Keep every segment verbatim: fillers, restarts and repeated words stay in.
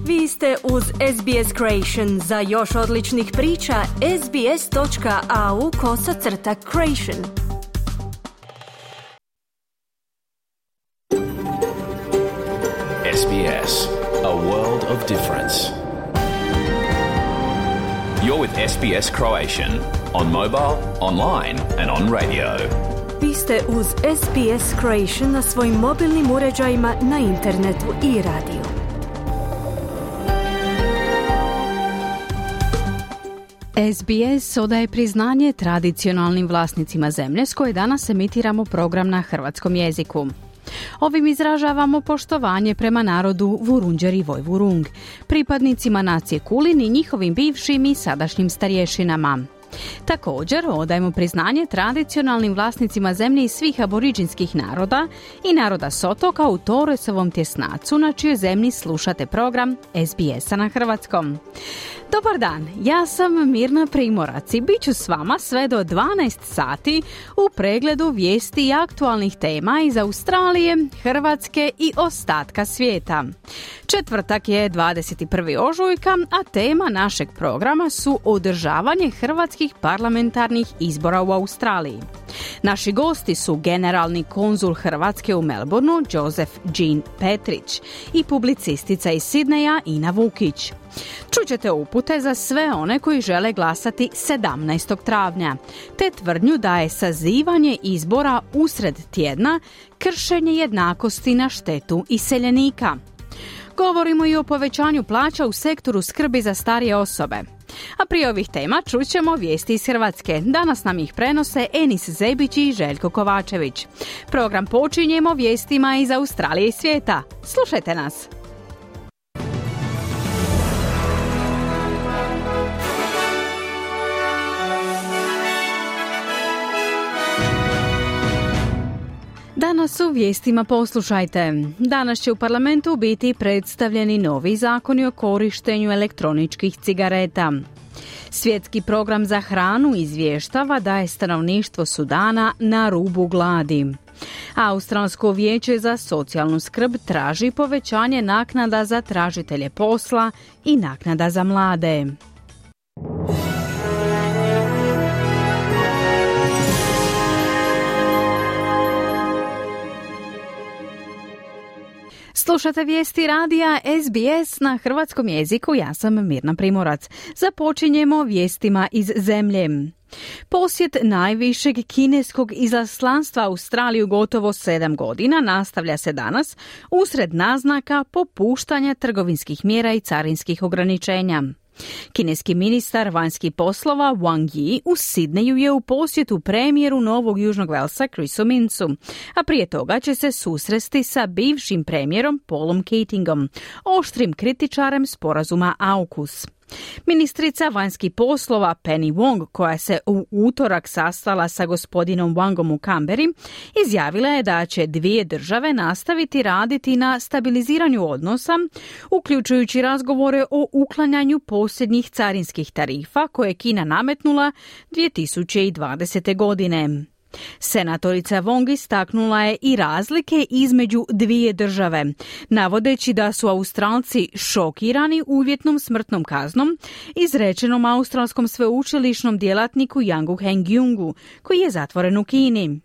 Vi ste uz S B S Creation. Za još odličnih priča, sbs.au kosacrta creation. S B S, a world of difference. You're with S B S Croatian on mobile, online and on radio. Vi ste uz S B S Creation na svojim mobilnim uređajima, na internetu i radiju. S B S odaje priznanje tradicionalnim vlasnicima zemlje s koje danas emitiramo program na hrvatskom jeziku. Ovim izražavamo poštovanje prema narodu Vurundjer i Vojvurung, pripadnicima nacije Kulin i njihovim bivšim i sadašnjim starješinama. Također odajemo priznanje tradicionalnim vlasnicima zemlje i svih aboriđinskih naroda i naroda s otoka u Torresovom tjesnacu, na čijoj zemlji slušate program S B S-a na hrvatskom. Dobar dan, ja sam Mirna Primorac i bit ću s vama sve do dvanaest sati u pregledu vijesti i aktualnih tema iz Australije, Hrvatske i ostatka svijeta. Četvrtak je dvadeset prvi ožujka, a tema našeg programa su održavanje hrvatskih parlamentarnih izbora u Australiji. Naši gosti su generalni konzul Hrvatske u Melbourneu Joseph Jean Petrić i publicistica iz Sidneja Ina Vukić. Čućete upute za sve one koji žele glasati sedamnaestog travnja, te tvrdnju da je sazivanje izbora usred tjedna kršenje jednakosti na štetu iseljenika. Govorimo i o povećanju plaća u sektoru skrbi za starije osobe. A prije ovih tema čućemo vijesti iz Hrvatske. Danas nam ih prenose Enis Zebić i Željko Kovačević. Program počinjemo vijestima iz Australije i svijeta. Slušajte nas! Danas u vijestima poslušajte. Danas će u parlamentu biti predstavljeni novi zakoni o korištenju elektroničkih cigareta. Svjetski program za hranu izvještava da je stanovništvo Sudana na rubu gladi. Australsko vijeće za socijalnu skrb traži povećanje naknada za tražitelje posla i naknada za mlade. Slušate vijesti radija S B S na hrvatskom jeziku, ja sam Mirna Primorac. Započinjemo vijestima iz zemlje. Posjet najvišeg kineskog izaslanstva Australiju gotovo sedam godina nastavlja se danas usred naznaka popuštanja trgovinskih mjera i carinskih ograničenja. Kineski ministar vanjskih poslova Wang Yi u Sidneju je u posjetu premijeru Novog Južnog Velsa Chrisu Mincu, a prije toga će se susresti sa bivšim premijerom Paulom Keatingom, oštrim kritičarem sporazuma AUKUS. Ministrica vanjskih poslova Penny Wong, koja se u utorak sastala sa gospodinom Wangom u Canberri, izjavila je da će dvije države nastaviti raditi na stabiliziranju odnosa, uključujući razgovore o uklanjanju posljednjih carinskih tarifa koje je Kina nametnula dvije tisuće dvadesete. godine. Senatorica Wong istaknula je i razlike između dvije države, navodeći da su Australci šokirani uvjetnom smrtnom kaznom izrečenom australskom sveučilišnom djelatniku Yangu Hengyungu, koji je zatvoren u Kini.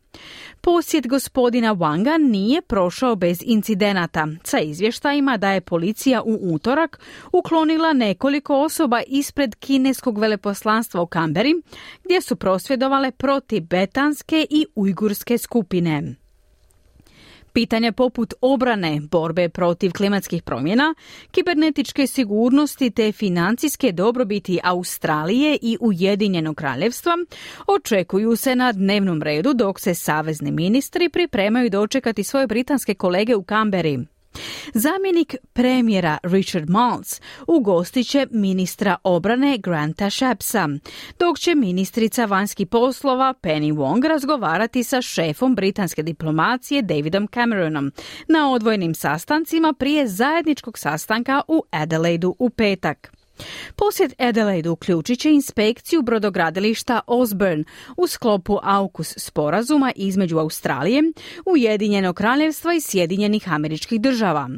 Posjet gospodina Wanga nije prošao bez incidenata, sa izvještajima da je policija u utorak uklonila nekoliko osoba ispred kineskog veleposlanstva u Canberri, gdje su prosvjedovale protiv betanske i ujgurske skupine. Pitanja poput obrane, borbe protiv klimatskih promjena, kibernetičke sigurnosti te financijske dobrobiti Australije i Ujedinjenog kraljevstva očekuju se na dnevnom redu dok se savezni ministri pripremaju dočekati svoje britanske kolege u Canberri. Zamjenik premijera Richard Marles ugostit će ministra obrane Granta Shappsa, dok će ministrica vanjskih poslova Penny Wong razgovarati sa šefom britanske diplomacije Davidom Cameronom na odvojenim sastancima prije zajedničkog sastanka u Adelaidu u petak. Posjet Adelaide uključit će inspekciju brodogradilišta Osborne u sklopu AUKUS sporazuma između Australije, Ujedinjenog kraljevstva i Sjedinjenih Američkih Država.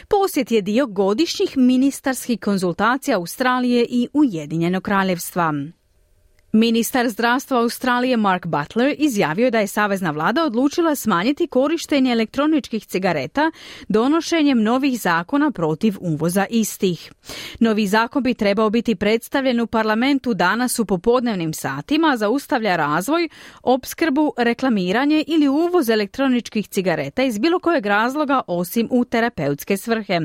Posjet je dio godišnjih ministarskih konzultacija Australije i Ujedinjenog kraljevstva. Ministar zdravstva Australije Mark Butler izjavio da je savezna vlada odlučila smanjiti korištenje elektroničkih cigareta donošenjem novih zakona protiv uvoza istih. Novi zakon bi trebao biti predstavljen u parlamentu danas u popodnevnim satima, zaustavlja razvoj, opskrbu, reklamiranje ili uvoz elektroničkih cigareta iz bilo kojeg razloga osim u terapeutske svrhe.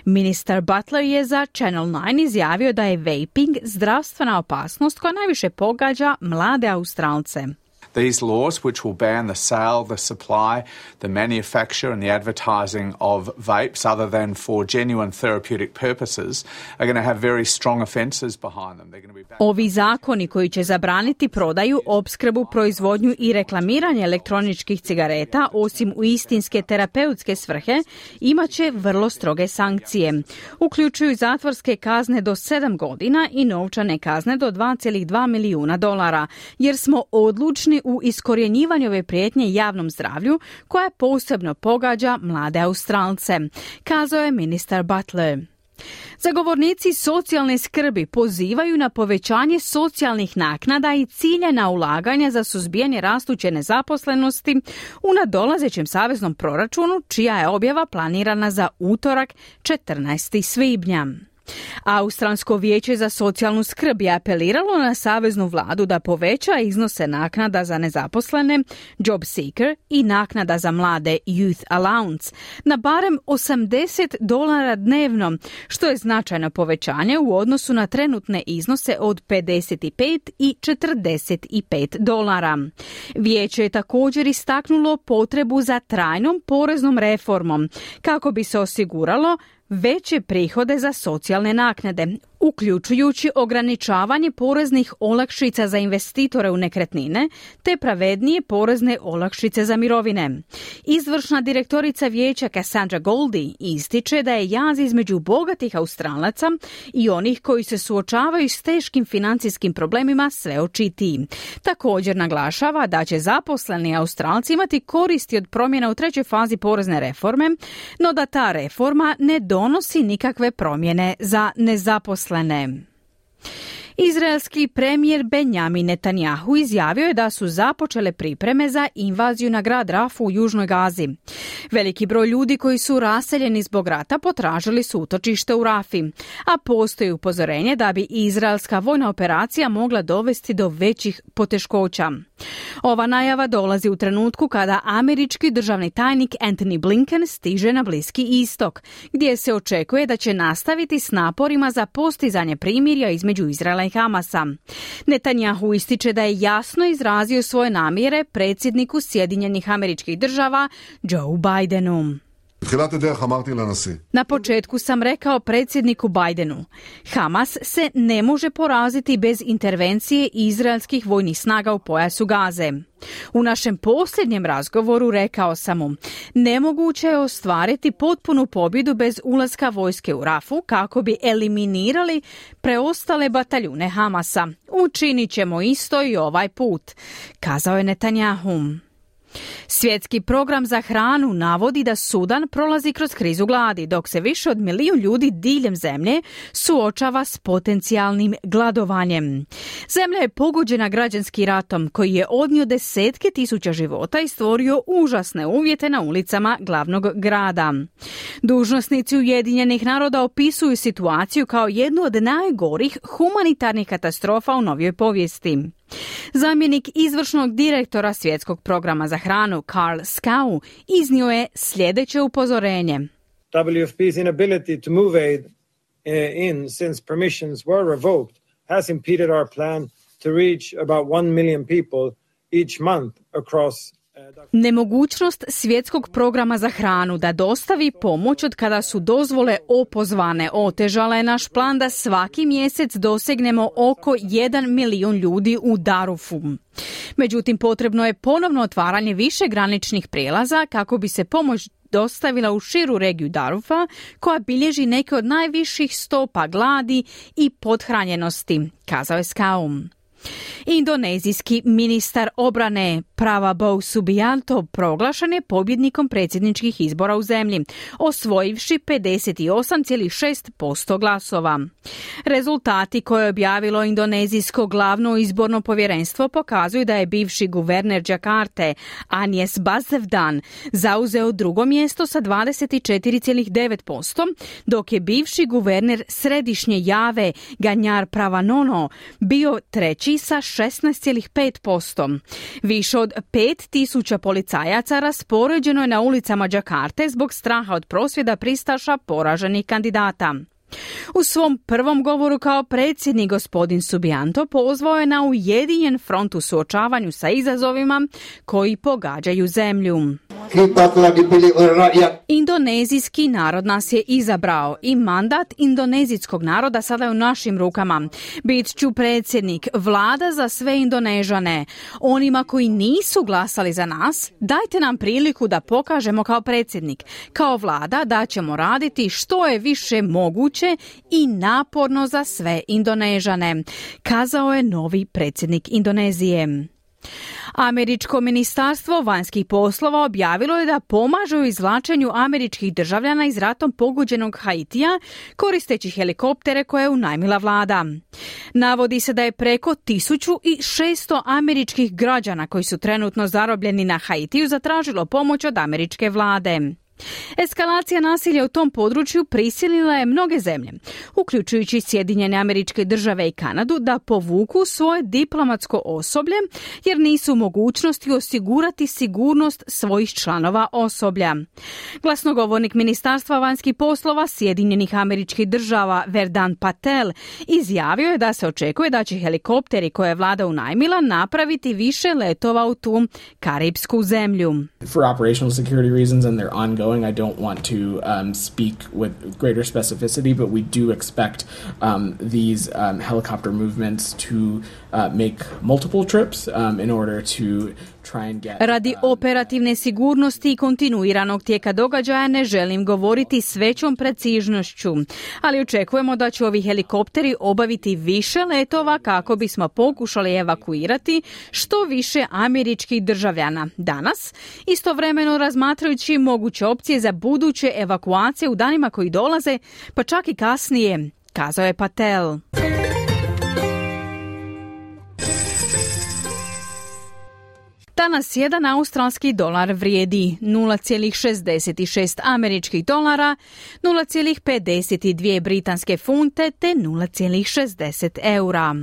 Ministar Butler je za Channel nine izjavio da je vaping zdravstvena opasnost koja najviše pogađa mlade Australce. These laws, which will ban the sale, the supply, the manufacture and the advertising of vapes other than for genuine therapeutic purposes, are going to have very strong offences behind them. They're going to be back- Ovi zakoni koji će zabraniti prodaju, opskrbu, proizvodnju i reklamiranje elektroničkih cigareta, osim u istinske terapeutske svrhe, imat će vrlo stroge sankcije. Uključuju zatvorske kazne do sedam godina i novčane kazne do dva zarez dva milijuna dolara, jer smo odlučni u iskorjenjivanju ove prijetnje javnom zdravlju koja posebno pogađa mlade Australce, kazao je ministar Butler. Zagovornici socijalne skrbi pozivaju na povećanje socijalnih naknada i ciljana ulaganja za suzbijanje rastuće nezaposlenosti u nadolazećem saveznom proračunu, čija je objava planirana za utorak četrnaestog svibnja. Australsko vijeće za socijalnu skrb je apeliralo na saveznu vladu da poveća iznose naknada za nezaposlene, job seeker i naknada za mlade youth allowance na barem osamdeset dolara dnevno, što je značajno povećanje u odnosu na trenutne iznose od pedeset pet i četrdeset pet dolara. Vijeće je također istaknulo potrebu za trajnom poreznom reformom kako bi se osiguralo veće prihode za socijalne naknade, uključujući ograničavanje poreznih olakšica za investitore u nekretnine te pravednije porezne olakšice za mirovine. Izvršna direktorica vijeća Cassandra Goldie ističe da je jaz između bogatih Australaca i onih koji se suočavaju s teškim financijskim problemima sve očitiji. Također naglašava da će zaposleni Australci imati koristi od promjena u trećoj fazi porezne reforme, no da ta reforma ne donosi nikakve promjene za nezaposlene. Izraelski premijer Benjamin Netanjahu izjavio je da su započele pripreme za invaziju na grad Rafu u Južnoj Gazi. Veliki broj ljudi koji su raseljeni zbog rata potražili su utočište u Rafi, a postoji upozorenje da bi izraelska vojna operacija mogla dovesti do većih poteškoća. Ova najava dolazi u trenutku kada američki državni tajnik Antony Blinken stiže na Bliski istok, gdje se očekuje da će nastaviti s naporima za postizanje primirja između Izraela i Hamasa. Netanjahu ističe da je jasno izrazio svoje namjere predsjedniku Sjedinjenih Američkih Država Joe Bidenu. Na početku sam rekao predsjedniku Bidenu, Hamas se ne može poraziti bez intervencije izraelskih vojnih snaga u pojasu Gaze. U našem posljednjem razgovoru rekao sam mu, nemoguće je ostvariti potpunu pobjedu bez ulaska vojske u Rafu kako bi eliminirali preostale bataljune Hamasa. Učinit ćemo isto i ovaj put, kazao je Netanjahu. Svjetski program za hranu navodi da Sudan prolazi kroz krizu gladi, dok se više od milijun ljudi diljem zemlje suočava s potencijalnim gladovanjem. Zemlja je pogođena građanskim ratom koji je odnio desetke tisuća života i stvorio užasne uvjete na ulicama glavnog grada. Dužnosnici Ujedinjenih naroda opisuju situaciju kao jednu od najgorih humanitarnih katastrofa u novijoj povijesti. Zamjenik izvršnog direktora Svjetskog programa za hranu Karl Skau iznio je sljedeće upozorenje. W F P's inability to move aid in since permissions were revoked has impeded our plan to reach about one million people each month across. Nemogućnost Svjetskog programa za hranu da dostavi pomoć od kada su dozvole opozvane otežala je naš plan da svaki mjesec dosegnemo oko jedan milijun ljudi u Darufu. Međutim, potrebno je ponovno otvaranje više graničnih prijelaza kako bi se pomoć dostavila u širu regiju Darufa, koja bilježi neke od najviših stopa gladi i pothranjenosti, kazao je Skaum. Indonezijski ministar obrane Prabowo Subianto proglašen je pobjednikom predsjedničkih izbora u zemlji, osvojivši pedeset osam zarez šest posto glasova. Rezultati koje je objavilo indonezijsko glavno izborno povjerenstvo pokazuju da je bivši guverner Džakarte, Anies Baswedan, zauzeo drugo mjesto sa dvadeset četiri zarez devet posto, dok je bivši guverner Središnje Jave, Ganjar Pranowo, bio treći sa šesnaest zarez pet posto. Više od pet tisuća policajaca raspoređeno je na ulicama Džakarte zbog straha od prosvjeda pristaša poraženih kandidata. U svom prvom govoru kao predsjednik gospodin Subianto pozvao je na ujedinjen front u suočavanju sa izazovima koji pogađaju zemlju. Indonezijski narod nas je izabrao i mandat indonezijskog naroda sada je u našim rukama. Bit ću predsjednik, vlada za sve Indonežane. Onima koji nisu glasali za nas, dajte nam priliku da pokažemo kao predsjednik. Kao vlada da ćemo raditi što je više moguće i naporno za sve Indonežane, kazao je novi predsjednik Indonezije. Američko ministarstvo vanjskih poslova objavilo je da pomaže u izvlačenju američkih državljana iz ratom pogođenog Haitija koristeći helikoptere koje je unajmila vlada. Navodi se da je preko tisuću šesto američkih građana koji su trenutno zarobljeni na Haitiju zatražilo pomoć od američke vlade. Eskalacija nasilja u tom području prisilila je mnoge zemlje, uključujući Sjedinjene Američke Države i Kanadu, da povuku svoje diplomatsko osoblje jer nisu u mogućnosti osigurati sigurnost svojih članova osoblja. Glasnogovornik Ministarstva vanjskih poslova Sjedinjenih Američkih Država Vedant Patel izjavio je da se očekuje da će helikopteri koje je vlada unajmila napraviti više letova u tu karipsku zemlju. For operational security reasons and their ongoing, I don't want to um, speak with greater specificity, but we do expect um, these um, helicopter movements to uh, make multiple trips um, in order to try and get... Radi operativne sigurnosti i kontinuiranog tijeka događaja ne želim govoriti s većom precižnošću, ali očekujemo da će ovi helikopteri obaviti više letova kako bismo pokušali evakuirati što više američkih državljana danas, istovremeno razmatrajući moguće opcije za buduće evakuacije u danima koji dolaze, pa čak i kasnije, kazao je Patel. Danas jedan australski dolar vrijedi nula zarez šezdeset šest američkih dolara, nula zarez pedeset dvije britanske funte te nula zarez šezdeset eura.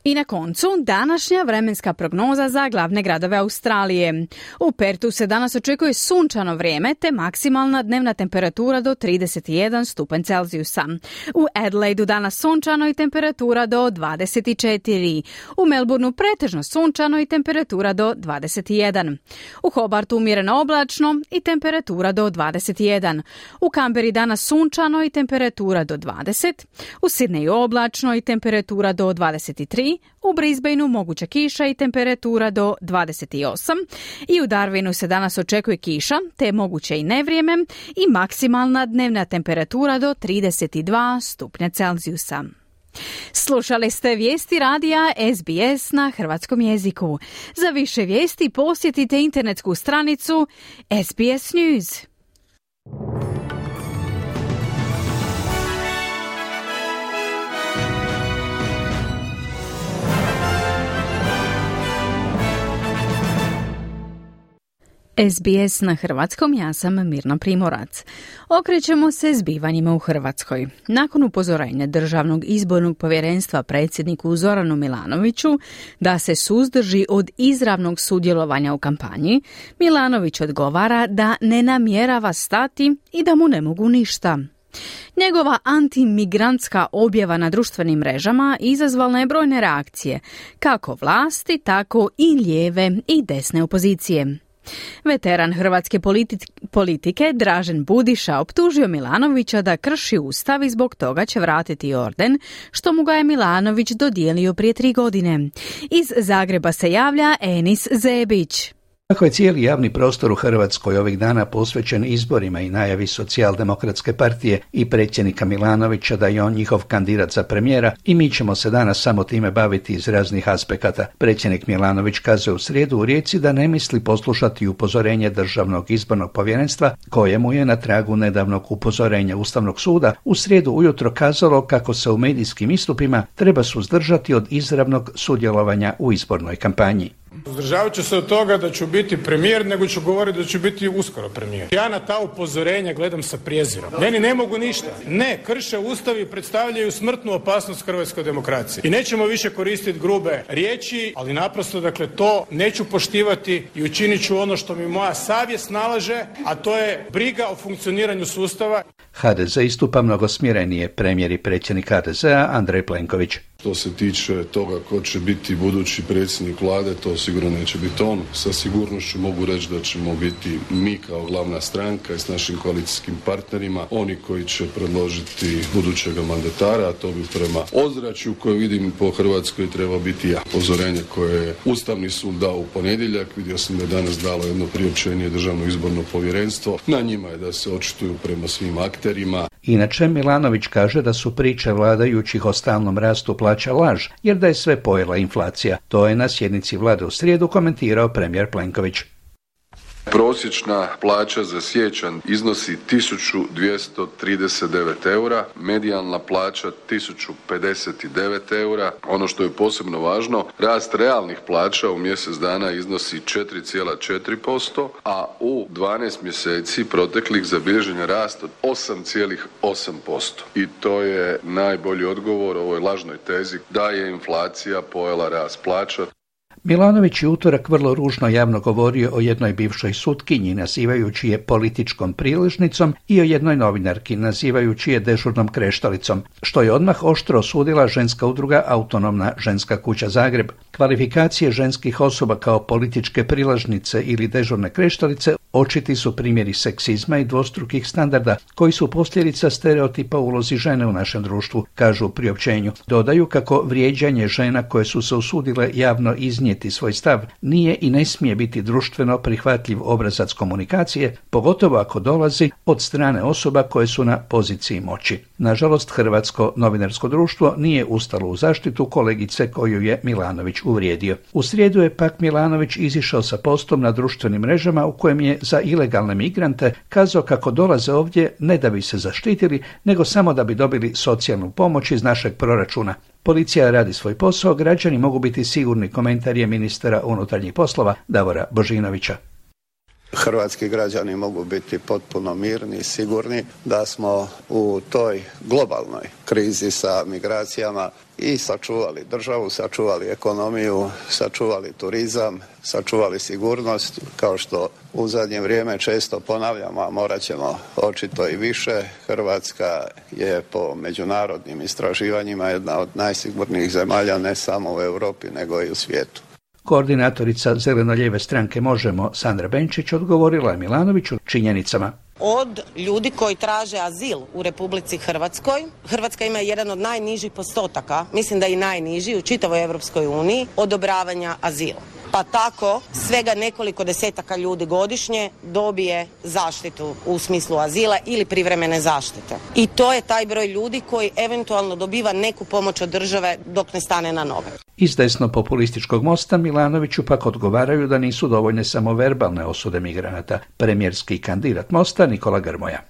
I na koncu, današnja vremenska prognoza za glavne gradove Australije. U Pertu se danas očekuje sunčano vrijeme te maksimalna dnevna temperatura do trideset jedan stupanj Celzijusa. U Adelaidu danas sunčano i temperatura do dvadeset četiri. U Melbourneu pretežno sunčano i temperatura do dvadeset jedan. U Hobartu umjereno oblačno i temperatura do dvadeset jedan. U Canberri danas sunčano i temperatura do dvadeset. U Sydneyu oblačno i temperatura do dvadeset tri. U Brisbaneu moguća kiša i temperatura do dvadeset osam i u Darwinu se danas očekuje kiša te moguće i nevrijeme i maksimalna dnevna temperatura do trideset dva stupnja Celzijusa. Slušali ste vijesti radija S B S na hrvatskom jeziku. Za više vijesti posjetite internetsku stranicu S B S News. S B S na hrvatskom, ja sam Mirna Primorac. Okrećemo se zbivanjima u Hrvatskoj. Nakon upozorenja Državnog izbornog povjerenstva predsjedniku Zoranu Milanoviću da se suzdrži od izravnog sudjelovanja u kampanji, Milanović odgovara da ne namjerava stati i da mu ne mogu ništa. Njegova antimigrantska objava na društvenim mrežama izazvala je brojne reakcije, kako vlasti, tako i lijeve i desne opozicije. Veteran hrvatske politi- politike Dražen Budiša optužio Milanovića da krši ustav i zbog toga će vratiti orden, što mu ga je Milanović dodijelio prije tri godine. Iz Zagreba se javlja Enis Zebić. Kako je cijeli javni prostor u Hrvatskoj ovih dana posvećen izborima i najavi Socijaldemokratske partije i predsjednika Milanovića da je on njihov kandidat za premijera, i mi ćemo se danas samo time baviti iz raznih aspekata. Predsjednik Milanović kazuje u srijedu u Rijeci da ne misli poslušati upozorenje Državnog izbornog povjerenstva, kojemu je na tragu nedavnog upozorenja Ustavnog suda u srijedu ujutro kazalo kako se u medijskim istupima treba suzdržati od izravnog sudjelovanja u izbornoj kampanji. Uzdržavat ću se od toga da ću biti premijer, nego ću govoriti da ću biti uskoro premijer. Ja na ta upozorenja gledam sa prijezirom. Meni ne mogu ništa. Ne, krše Ustav i predstavljaju smrtnu opasnost hrvatskoj demokraciji. I nećemo više koristiti grube riječi, ali naprosto, dakle, to neću poštivati i učinit ću ono što mi moja savjest nalaže, a to je briga o funkcioniranju sustava. ha de ze istupa mnogo smirenije. Premijer i predsjednik ha de zea Andrej Plenković. Što se tiče toga ko će biti budući predsjednik vlade, to sigurno neće biti on. Sa sigurnošću mogu reći da ćemo biti mi kao glavna stranka i s našim koalicijskim partnerima oni koji će predložiti budućega mandatara, a to bi prema ozračju koje vidim po Hrvatskoj treba biti ja. Upozorenje koje je Ustavni sud dao u ponedjeljak, vidio sam da je danas dalo jedno priopćenje Državno izborno povjerenstvo. Na njima je da se očituju prema svim akterima. Inače, Milanović kaže da su priče vladajućih o stalnom rastu plaća laž, jer da je sve pojela inflacija. To je na sjednici vlade u srijedu komentirao premijer Plenković. Prosječna plaća za siječanj iznosi tisuću dvjesto trideset devet eura, medijalna plaća tisuću pedeset devet eura. Ono što je posebno važno, rast realnih plaća u mjesec dana iznosi četiri zarez četiri posto, a u dvanaest mjeseci proteklih zabilježen je rast od osam zarez osam posto. I to je najbolji odgovor ovoj lažnoj tezi da je inflacija pojela rast plaća. Milanović je utorak vrlo ružno javno govorio o jednoj bivšoj sutkinji, nazivajući je političkom priležnicom, i o jednoj novinarki, nazivajući je dežurnom kreštalicom, što je odmah oštro osudila ženska udruga Autonomna ženska kuća Zagreb. Kvalifikacije ženskih osoba kao političke priležnice ili dežurne kreštalice očiti su primjeri seksizma i dvostrukih standarda, koji su posljedica stereotipa ulozi žene u našem društvu, kažu u priopćenju. Dodaju kako vrijeđanje žena koje su se usudile javno iznijeti svoj stav nije i ne smije biti društveno prihvatljiv obrazac komunikacije, pogotovo ako dolazi od strane osoba koje su na poziciji moći. Nažalost, Hrvatsko novinarsko društvo nije ustalo u zaštitu kolegice koju je Milanović uvrijedio. U srijedu je pak Milanović izišao sa postom na društvenim mrežama u kojem je za ilegalne migrante kazao kako dolaze ovdje ne da bi se zaštitili, nego samo da bi dobili socijalnu pomoć iz našeg proračuna. Policija radi svoj posao, građani mogu biti sigurni, komentar je ministra unutarnjih poslova Davora Božinovića. Hrvatski građani mogu biti potpuno mirni i sigurni da smo u toj globalnoj krizi sa migracijama i sačuvali državu, sačuvali ekonomiju, sačuvali turizam, sačuvali sigurnost, kao što u zadnje vrijeme često ponavljamo, a morat ćemo očito i više. Hrvatska je po međunarodnim istraživanjima jedna od najsigurnijih zemalja ne samo u Europi nego i u svijetu. Koordinatorica zeleno-lijeve stranke Možemo, Sandra Benčić, odgovorila je Milanoviću činjenicama. Od ljudi koji traže azil u Republici Hrvatskoj, Hrvatska ima jedan od najnižih postotaka, mislim da i najniži u čitavoj Europskoj uniji, odobravanja azila. Pa tako svega nekoliko desetaka ljudi godišnje dobije zaštitu u smislu azila ili privremene zaštite. I to je taj broj ljudi koji eventualno dobiva neku pomoć od države dok ne stane na noge. Iz desno populističkog mosta Milanoviću pak odgovaraju da nisu dovoljne samo verbalne osude migranata. Premijerski kandidat Mosta Nikola Grmoja.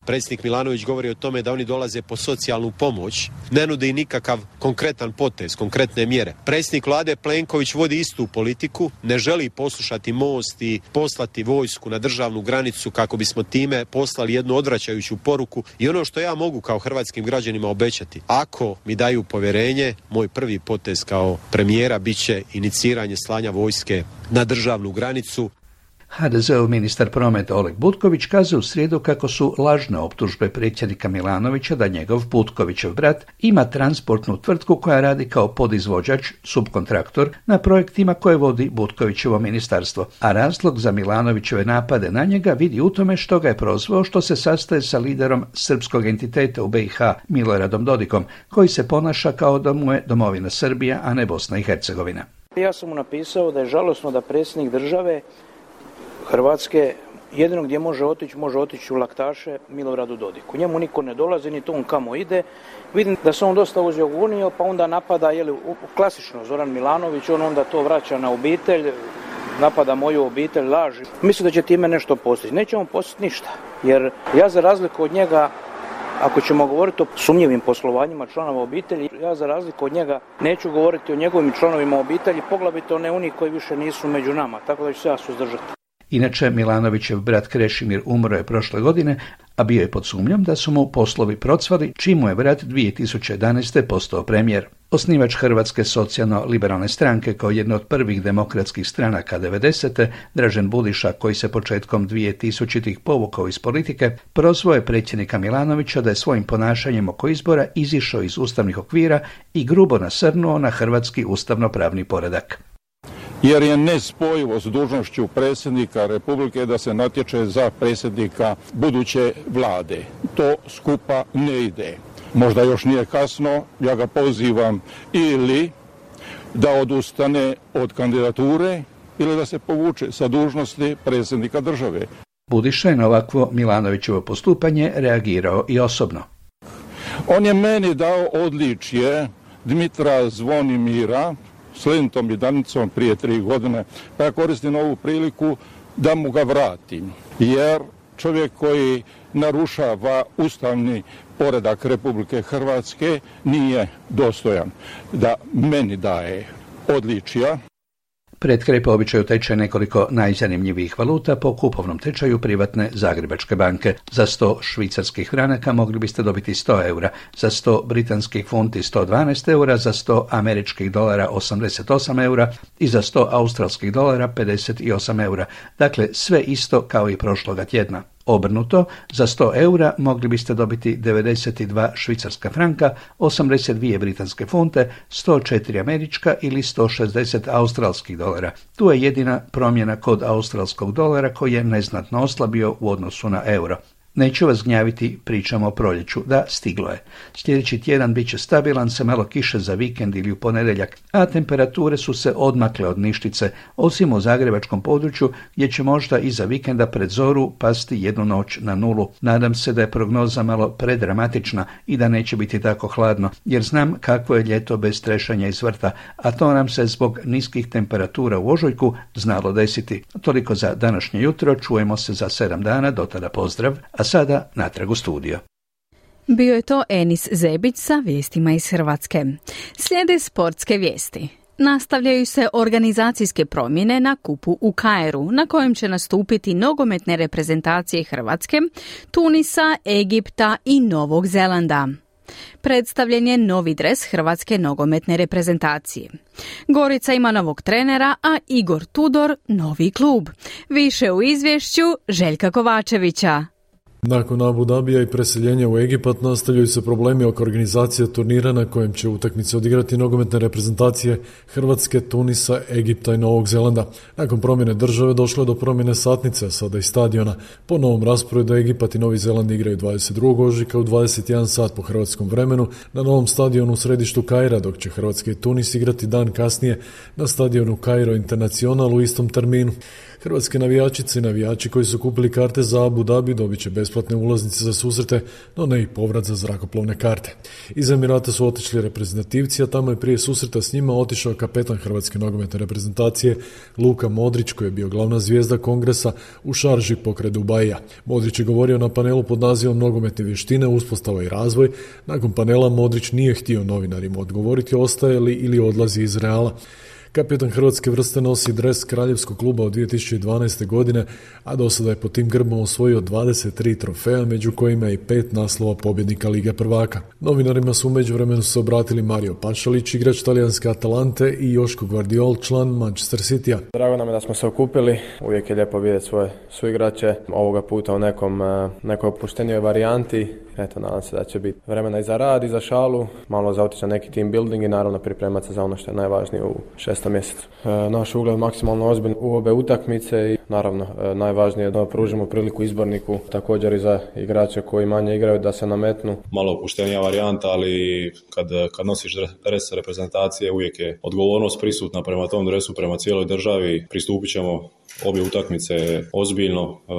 Predsjednik Milanović govori o tome da oni dolaze po socijalnu pomoć, ne nudi nikakav konkretan potez, konkretne mjere. Predsjednik vlade Plenković vodi istu politiku, ne želi poslušati Most i poslati vojsku na državnu granicu kako bismo time poslali jednu odvraćajuću poruku. I ono što ja mogu kao hrvatskim građanima obećati, ako mi daju povjerenje, moj prvi potez kao premijera bit će iniciranje slanja vojske na državnu granicu. ha de zeov ministar prometa Oleg Butković kazao u srijedu kako su lažne optužbe predsjednika Milanovića da njegov Butkovićev brat ima transportnu tvrtku koja radi kao podizvođač, subkontraktor, na projektima koje vodi Butkovićevo ministarstvo, a razlog za Milanovićeve napade na njega vidi u tome što ga je prozvao što se sastaje sa liderom srpskog entiteta u B i H Miloradom Dodikom, koji se ponaša kao da mu je domovina Srbija, a ne Bosna i Hercegovina. Ja sam mu napisao da je žalosno da predsjednik države Hrvatske jedino gdje može otići, može otići u laktaše Miloradu Dodiku. Njemu niko ne dolazi, ni to on kamo ide. Vidim da se on dosta uzeo gunio, pa onda napada, jeli, klasično Zoran Milanović, on onda to vraća na obitelj, napada moju obitelj, laži. Mislim da će time nešto postići. Neće on postići ništa, jer ja za razliku od njega, ako ćemo govoriti o sumnjivim poslovanjima članova obitelji, ja za razliku od njega neću govoriti o njegovim članovima obitelji, poglavito ne oni koji više nisu među nama, tako da ću se ja suzdržati. Inače, Milanovićev brat Krešimir umro je prošle godine, a bio je pod sumnjom da su mu poslovi procvali, čim mu je brat dvije tisuće jedanaeste. postao premijer. Osnivač Hrvatske socijalno-liberalne stranke kao jedne od prvih demokratskih stranaka devedesete. Dražen Budiša, koji se početkom dvije tisućitih povukao iz politike, prozvao je predsjednika Milanovića da je svojim ponašanjem oko izbora izišao iz ustavnih okvira i grubo nasrnuo na hrvatski ustavno-pravni poredak. Jer je nespojivo s dužnošću predsjednika Republike da se natječe za predsjednika buduće vlade. To skupa ne ide. Možda još nije kasno, ja ga pozivam ili da odustane od kandidature ili da se povuče sa dužnosti predsjednika države. Budiša je na ovakvo Milanovićevo postupanje reagirao i osobno. On je meni dao odličje Dmitra Zvonimira s lentom i danicom prije tri godine, pa ja koristim ovu priliku da mu ga vratim, jer čovjek koji narušava ustavni poredak Republike Hrvatske nije dostojan da meni daje odličja. Pred kraj po običaju teče nekoliko najzanimljivijih valuta po kupovnom tečaju privatne Zagrebačke banke. Za sto švicarskih franaka mogli biste dobiti sto eura, za sto britanskih funti sto dvanaest eura, za sto američkih dolara osamdeset osam eura i za sto australskih dolara pedeset osam eura. Dakle, sve isto kao i prošloga tjedna. Obrnuto, za sto eura mogli biste dobiti devedeset dva švicarska franka, osamdeset dvije britanske funte, sto četiri američka ili sto šezdeset australskih dolara. Tu je jedina promjena kod australskog dolara koji je neznatno oslabio u odnosu na euro. Neću vas gnjaviti, pričamo o proljeću. Da, stiglo je. Sljedeći tjedan bit će stabilan, sa malo kiše za vikend ili u ponedjeljak, a temperature su se odmakle od ništice, osim u zagrebačkom području, gdje će možda iza vikenda pred zoru pasti jednu noć na nulu. Nadam se da je prognoza malo predramatična i da neće biti tako hladno, jer znam kakvo je ljeto bez trešanja iz vrta, a to nam se zbog niskih temperatura u ožujku znalo desiti. Toliko za današnje jutro, čujemo se za sedam dana, do tada pozdrav. A sada natrag u studio. Bio je to Enis Zebić sa vijestima iz Hrvatske. Slijede sportske vijesti. Nastavljaju se organizacijske promjene na kupu u Kairu, na kojem će nastupiti nogometne reprezentacije Hrvatske, Tunisa, Egipta i Novog Zelanda. Predstavljen je novi dres Hrvatske nogometne reprezentacije. Gorica ima novog trenera, a Igor Tudor novi klub. Više u izvješću Željka Kovačevića. Nakon Abu Dabija i preseljenja u Egipat nastavljaju se problemi oko organizacije turnira na kojem će utakmice odigrati nogometne reprezentacije Hrvatske, Tunisa, Egipta i Novog Zelanda. Nakon promjene države došlo je do promjene satnice, a sada i stadiona. Po novom rasporedu Egipat i Novi Zeland igraju dvadeset drugog ožujka u dvadeset jedan sat po hrvatskom vremenu na novom stadionu u središtu Kaira, dok će Hrvatska i Tunis igrati dan kasnije na stadionu Kairo Internacional u istom terminu. Hrvatske navijačice i navijači koji su kupili karte za Abu Dhabi dobit će besplatne ulaznice za susrete, no ne i povrat za zrakoplovne karte. Iz Emirata su otišli reprezentativci, a tamo je prije susreta s njima otišao kapetan Hrvatske nogometne reprezentacije Luka Modrić, koji je bio glavna zvijezda kongresa u šarži pokraj Dubaija. Modrić je govorio na panelu pod nazivom Nogometne vještine, uspostava i razvoj. Nakon panela Modrić nije htio novinarima odgovoriti ostaje li ili odlazi iz Reala. Kapetan hrvatske vrste nosi dres kraljevskog kluba od dvije tisuće dvanaeste. godine, a do sada je pod tim grbom osvojio dvadeset tri trofeja, među kojima i pet naslova pobjednika Lige prvaka. Novinarima su u međuvremenu se obratili Mario Pašalić, igrač talijanske Atalante, i Joško Gvardiol, član Manchester Citya. Drago nam je da smo se okupili, uvijek je lijepo vidjeti svoje suigrače, ovoga puta u nekom, nekoj opuštenijoj varijanti. Eto, nadam se da će biti vremena i za rad i za šalu, malo za otići na neki team building i naravno pripremati se za ono što je najvažnije u šestom mjesecu. E, naš ugled maksimalno ozbiljno u obe utakmice i naravno e, najvažnije je da pružimo priliku izborniku, također i za igrače koji manje igraju da se nametnu. Malo opuštenija varijanta, ali kad, kad nosiš dres reprezentacije uvijek je odgovornost prisutna prema tom dresu, prema cijeloj državi. Pristupit ćemo obje utakmice ozbiljno, e,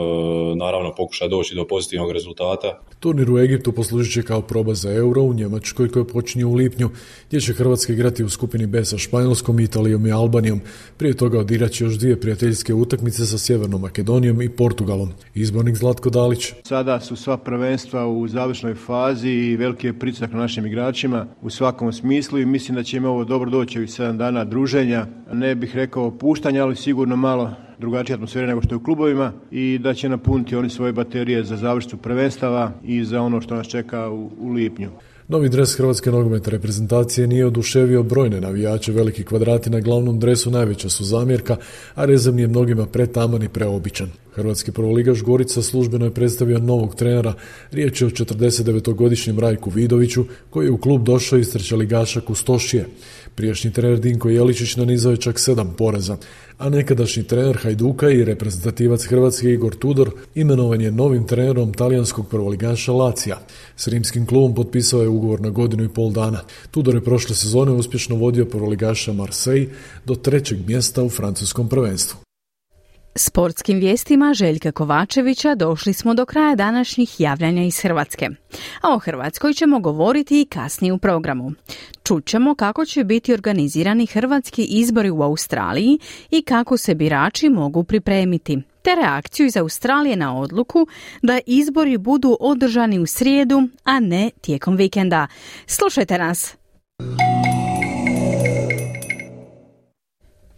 naravno pokušaj doći do pozitivnog rezultata. Turnir u Egiptu poslužit će kao proba za Euro u Njemačkoj koji počinje u lipnju, gdje će Hrvatska igrati u skupini B sa Španjolskom, Italijom i Albanijom. Prije toga odirat će još dvije prijateljske utakmice sa Sjevernom Makedonijom i Portugalom. Izbornik Zlatko Dalić. Sada su sva prvenstva u završnoj fazi i veliki je pritisak na našim igračima u svakom smislu i mislim da će im ovo dobro doći ovih sedam dana druženja. Ne bih rekao puštanja, ali sigurno malo drugačija atmosfera nego što je u klubovima i da će napuniti oni svoje baterije za završnicu prvenstava i za ono što nas čeka u, u lipnju. Novi dres hrvatske nogometne reprezentacije nije oduševio brojne navijače. Veliki kvadrati na glavnom dresu najveća su zamjerka, a rezervni je mnogima pretaman i preobičan. Hrvatski prvoligaš Gorica službeno je predstavio novog trenera. Riječ je o četrdesetdevetogodišnjem Rajku Vidoviću, koji je u klub došao iz trećeligaša Kustošije. Prijašnji trener Dinko Jeličić nanizao je čak sedam poraza, a nekadašnji trener Hajduka i reprezentativac Hrvatske Igor Tudor imenovan je novim trenerom talijanskog prvoligaša Lacija. S rimskim klubom potpisao je ugovor na godinu i pol dana. Tudor je prošle sezone uspješno vodio prvoligaša Marseille do trećeg mjesta u francuskom prvenstvu. Sportskim vijestima Željka Kovačevića došli smo do kraja današnjih javljanja iz Hrvatske. A o Hrvatskoj ćemo govoriti i kasnije u programu. Čućemo kako će biti organizirani hrvatski izbori u Australiji i kako se birači mogu pripremiti, te reakciju iz Australije na odluku da izbori budu održani u srijedu, a ne tijekom vikenda. Slušajte nas!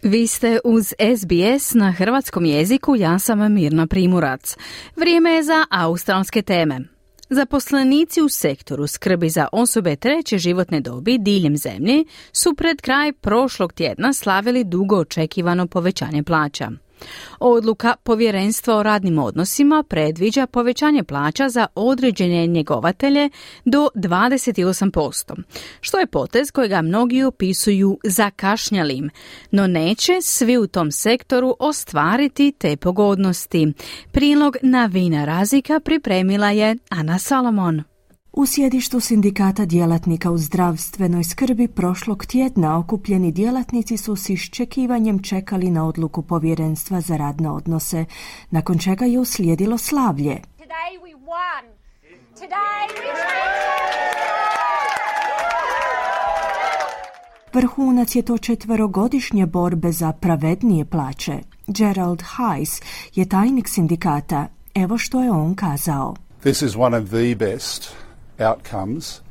Vi ste uz S B S na hrvatskom jeziku, ja sam Mirna Primorac. Vrijeme je za australske teme. Zaposlenici u sektoru skrbi za osobe treće životne dobi diljem zemlje su pred kraj prošlog tjedna slavili dugo očekivano povećanje plaća. Odluka Povjerenstva o radnim odnosima predviđa povećanje plaća za određene njegovatelje do dvadeset osam posto, što je potez kojega mnogi opisuju zakašnjalim, no neće svi u tom sektoru ostvariti te pogodnosti. Prilog Navina Razika pripremila je Ana Salomon. U sjedištu sindikata djelatnika u zdravstvenoj skrbi prošlog tjedna okupljeni djelatnici su s iščekivanjem čekali na odluku Povjerenstva za radne odnose, nakon čega je uslijedilo slavlje. Vrhunac je to četverogodišnje borbe za pravednije plaće. Gerald Hayes je tajnik sindikata. Evo što je on kazao. This is one of the best outcomes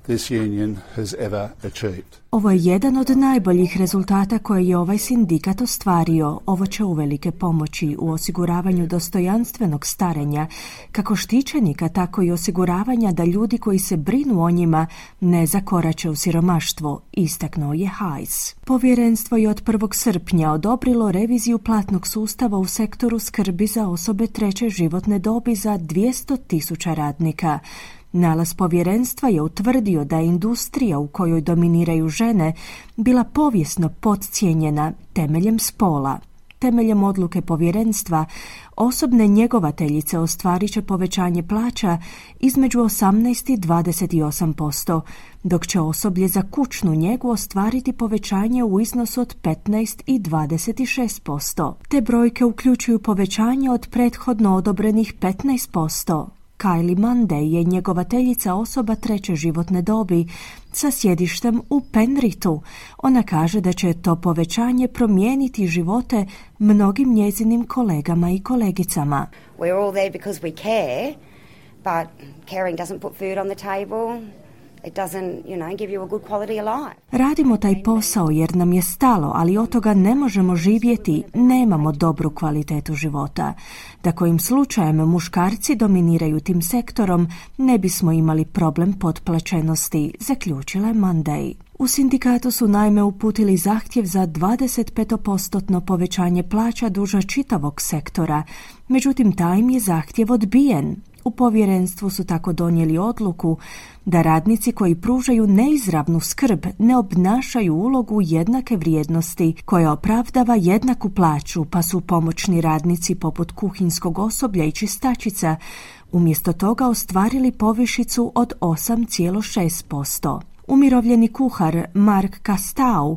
this union has ever achieved. Ovo je jedan od najboljih rezultata koje je ovaj sindikat ostvario. Ovo će uvelike pomoći u osiguravanju dostojanstvenog starenja, kako štićenika, tako i osiguravanja da ljudi koji se brinu o njima ne zakorače u siromaštvo, istaknuo je Hayes. Povjerenstvo je od prvog srpnja odobrilo reviziju platnog sustava u sektoru skrbi za osobe treće životne dobi za dvjesto tisuća radnika. Nalaz povjerenstva je utvrdio da je industrija u kojoj dominiraju žene bila povijesno podcijenjena temeljem spola. Temeljem odluke povjerenstva, osobne njegovateljice ostvarit će povećanje plaća između osamnaest i dvadeset osam posto, dok će osoblje za kućnu njegu ostvariti povećanje u iznosu od petnaest i dvadeset šest posto. Te brojke uključuju povećanje od prethodno odobrenih petnaest posto. Kylie Monday je njegovateljica osoba treće životne dobi sa sjedištem u Penrithu. Ona kaže da će to povećanje promijeniti živote mnogim njezinim kolegama i kolegicama. We're all there because we care, but caring doesn't put food on the table. It doesn't, you know, give you a good quality of life. Radimo taj posao jer nam je stalo, ali od toga ne možemo živjeti, nemamo dobru kvalitetu života. Da kojim slučajem muškarci dominiraju tim sektorom, ne bismo imali problem potplaćenosti, zaključila je Monday. U sindikatu su naime uputili zahtjev za dvadeset pet posto povećanje plaća duža čitavog sektora, međutim taj im je zahtjev odbijen. U povjerenstvu su tako donijeli odluku da radnici koji pružaju neizravnu skrb ne obnašaju ulogu jednake vrijednosti koja opravdava jednaku plaću, pa su pomoćni radnici poput kuhinskog osoblja i čistačica umjesto toga ostvarili povišicu od osam zarez šest posto. Umirovljeni kuhar Mark Kastau,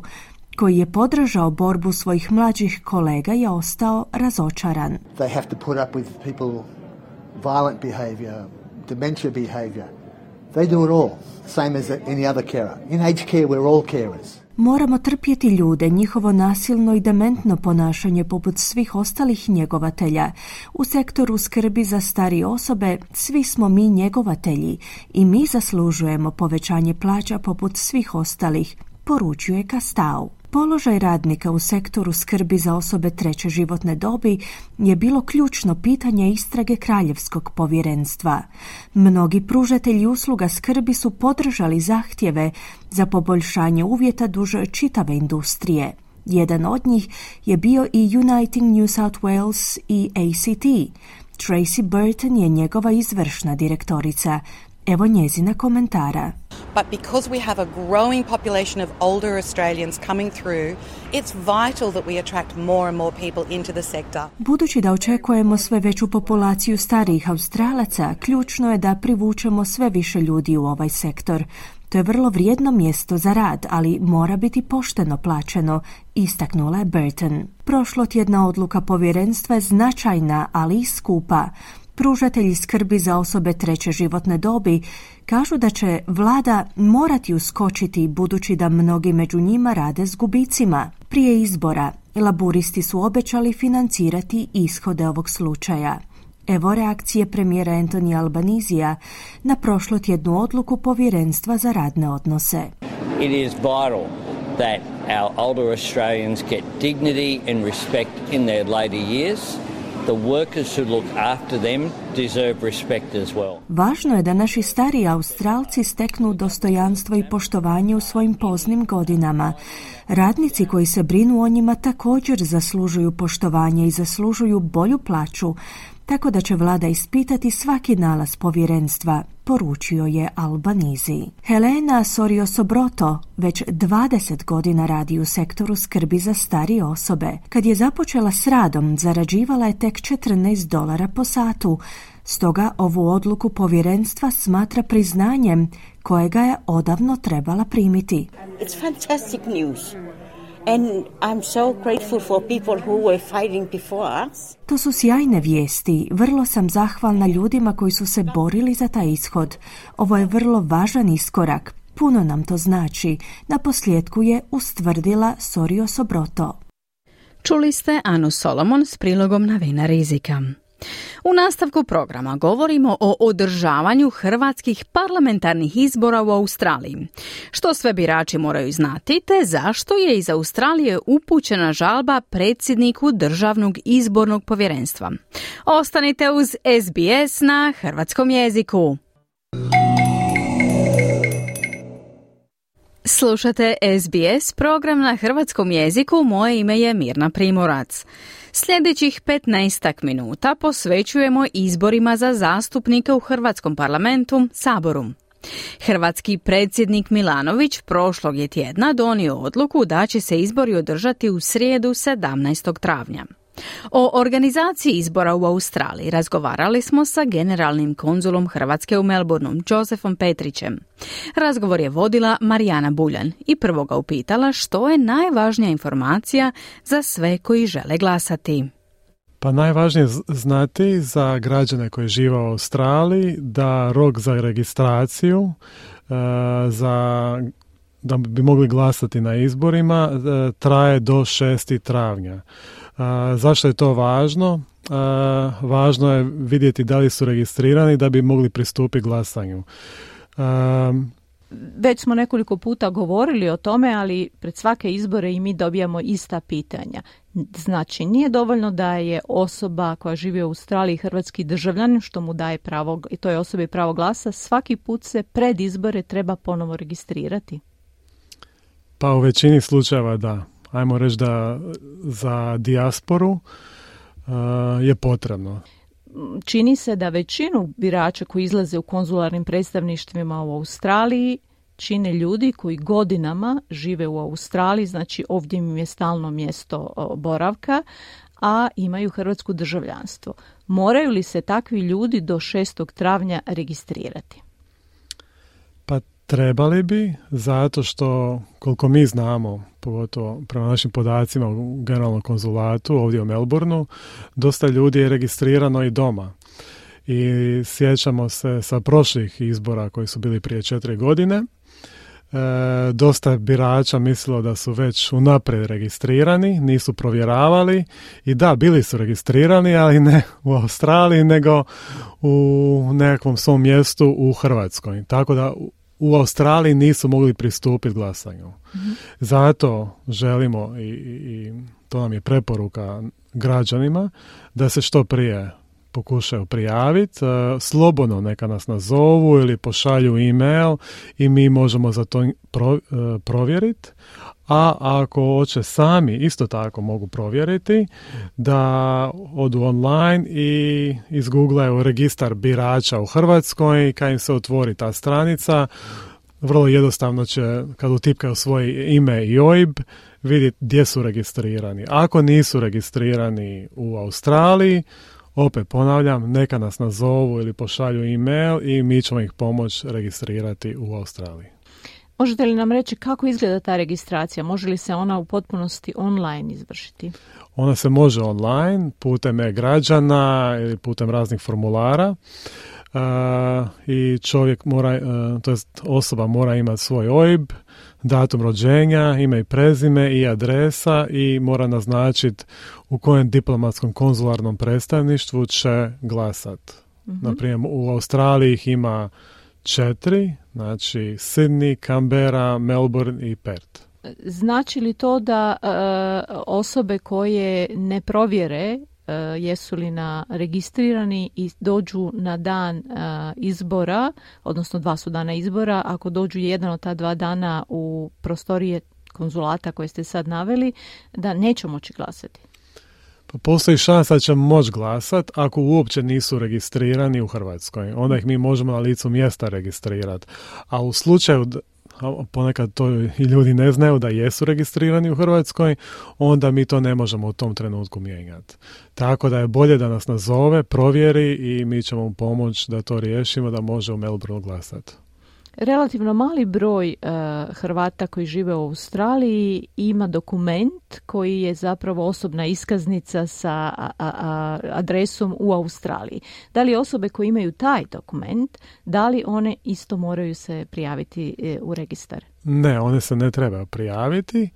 koji je podržao borbu svojih mlađih kolega, je ostao razočaran. They have to put up with people violent behaviour, dementia behaviour. They do it all, same as any other carer. In aged care we're all carers. Moramo trpjeti ljude, njihovo nasilno i dementno ponašanje poput svih ostalih njegovatelja. U sektoru skrbi za starije osobe svi smo mi njegovatelji i mi zaslužujemo povećanje plaća poput svih ostalih, poručuje Kastau. Položaj radnika u sektoru skrbi za osobe treće životne dobi je bilo ključno pitanje istrage Kraljevskog povjerenstva. Mnogi pružatelji usluga skrbi su podržali zahtjeve za poboljšanje uvjeta duž čitave industrije. Jedan od njih je bio i Uniting New South Wales i A C T. Tracy Burton je njegova izvršna direktorica. Evo njezina komentara. But because we have a growing population of older Australians coming through, it's vital that we attract more and more people into the sector. Budući da očekujemo sve veću populaciju starijih Australaca, ključno je da privučemo sve više ljudi u ovaj sektor. To je vrlo vrijedno mjesto za rad, ali mora biti pošteno plaćeno, istaknula je Burton. Prošlotjedna odluka povjerenstva je značajna, ali i skupa. Pružatelji skrbi za osobe treće životne dobi kažu da će vlada morati uskočiti budući da mnogi među njima rade s gubicima. Prije izbora laburisti su obećali financirati ishode ovog slučaja. Evo reakcije premijera Anthony Albanizija na prošlotjednu odluku povjerenstva za radne odnose. It is vital that our older Australians get dignity and respect in their later years. The workers who look after them deserve respect as well. Važno je da naši stariji Australci steknu dostojanstvo i poštovanje u svojim poznim godinama. Radnici koji se brinu o njima također zaslužuju poštovanje i zaslužuju bolju plaću, tako da će vlada ispitati svaki nalaz povjerenstva, poručio je Albanizi. Helena Sorio-Sobroto već dvadeset godina radi u sektoru skrbi za starije osobe. Kad je započela s radom, zarađivala je tek četrnaest dolara po satu. Stoga ovu odluku povjerenstva smatra priznanjem kojega je odavno trebala primiti. It's fantastic news. And I'm so grateful for people who were fighting before us. To su sjajne vijesti. Vrlo sam zahvalna ljudima koji su se borili za taj ishod. Ovo je vrlo važan iskorak. Puno nam to znači. Na posljedku je ustvrdila Sorio-Sobroto. Čuli ste Anu Solomon s prilogom novina rizika. U nastavku programa govorimo o održavanju hrvatskih parlamentarnih izbora u Australiji. Što sve birači moraju znati, te zašto je iz Australije upućena žalba predsjedniku Državnog izbornog povjerenstva. Ostanite uz S B S na hrvatskom jeziku. Slušate S B S program na hrvatskom jeziku, moje ime je Mirna Primorac. Sljedećih petnaestak minuta posvećujemo izborima za zastupnike u Hrvatskom parlamentu, Saboru. Hrvatski predsjednik Milanović prošlog je tjedna donio odluku da će se izbori održati u srijedu sedamnaestog travnja. O organizaciji izbora u Australiji razgovarali smo sa generalnim konzulom Hrvatske u Melbourneu, Josefom Petrićem. Razgovor je vodila Marijana Buljan i prvo ga upitala što je najvažnija informacija za sve koji žele glasati. Pa najvažnije znati za građane koji žive u Australiji da rok za registraciju uh, za da bi mogli glasati na izborima uh, traje do šestog travnja. Uh, zašto je to važno? Uh, važno je vidjeti da li su registrirani da bi mogli pristupiti glasanju. Uh, Već smo nekoliko puta govorili o tome, ali pred svake izbore i mi dobijamo ista pitanja. Znači, nije dovoljno da je osoba koja živi u Australiji hrvatski državljanin, što mu daje pravo, i to je osobi pravo glasa, svaki put se pred izbore treba ponovo registrirati. Pa u većini slučajeva da. Ajmo reći da za dijasporu uh, je potrebno. Čini se da većinu birača koji izlaze u konzularnim predstavništvima u Australiji čine ljudi koji godinama žive u Australiji, znači ovdje im je stalno mjesto boravka, a imaju hrvatsko državljanstvo. Moraju li se takvi ljudi do šestog travnja registrirati? Pa trebali bi, zato što koliko mi znamo, pogotovo prema našim podacima u generalnom konzulatu ovdje u Melbourneu, dosta ljudi je registrirano i doma. I sjećamo se sa prošlih izbora koji su bili prije četiri godine, e, dosta birača mislilo da su već unaprijed registrirani, nisu provjeravali i da, bili su registrirani, ali ne u Australiji, nego u nekakvom svom mjestu u Hrvatskoj. Tako da u Australiji nisu mogli pristupiti glasanju. Mm-hmm. Zato želimo, i, i to nam je preporuka građanima, da se što prije pokušaju prijaviti, slobodno neka nas nazovu ili pošalju e-mail i mi možemo za to pro, provjeriti. A ako hoće sami, isto tako mogu provjeriti, da odu online i izgooglaju registar birača u Hrvatskoj i kad im se otvori ta stranica, vrlo jednostavno će, kad utipkaju svoje ime i O I B, vidjeti gdje su registrirani. Ako nisu registrirani u Australiji, opet ponavljam, neka nas nazovu ili pošalju e-mail i mi ćemo ih pomoći registrirati u Australiji. Možete li nam reći kako izgleda ta registracija? Može li se ona u potpunosti online izvršiti? Ona se može online, putem e-građana ili putem raznih formulara. Uh, i čovjek mora, uh, to jest osoba mora imati svoj O I B, datum rođenja, ime i prezime i adresa i mora naznačiti u kojem diplomatskom konzularnom predstavništvu će glasati. Mm-hmm. Naprimjer, u Australiji ih ima četiri, znači Sydney, Canberra, Melbourne i Perth. Znači li to da uh, osobe koje ne provjere uh, jesu li na registrirani i dođu na dan uh, izbora, odnosno dva su dana izbora, ako dođu jedan od ta dva dana u prostorije konzulata koje ste sad naveli, da neće moći glasati? Pa postoji šansa da će moći glasati ako uopće nisu registrirani u Hrvatskoj. Onda ih mi možemo na licu mjesta registrirati. A u slučaju, ponekad to i ljudi ne znaju da jesu registrirani u Hrvatskoj, onda mi to ne možemo u tom trenutku mijenjati. Tako da je bolje da nas nazove, provjeri i mi ćemo mu pomoći da to riješimo, da može u Melbourneu glasati. Relativno mali broj uh, Hrvata koji žive u Australiji ima dokument koji je zapravo osobna iskaznica sa a, a, adresom u Australiji. Da li osobe koje imaju taj dokument, da li one isto moraju se prijaviti e, u registar? Ne, one se ne trebaju prijaviti,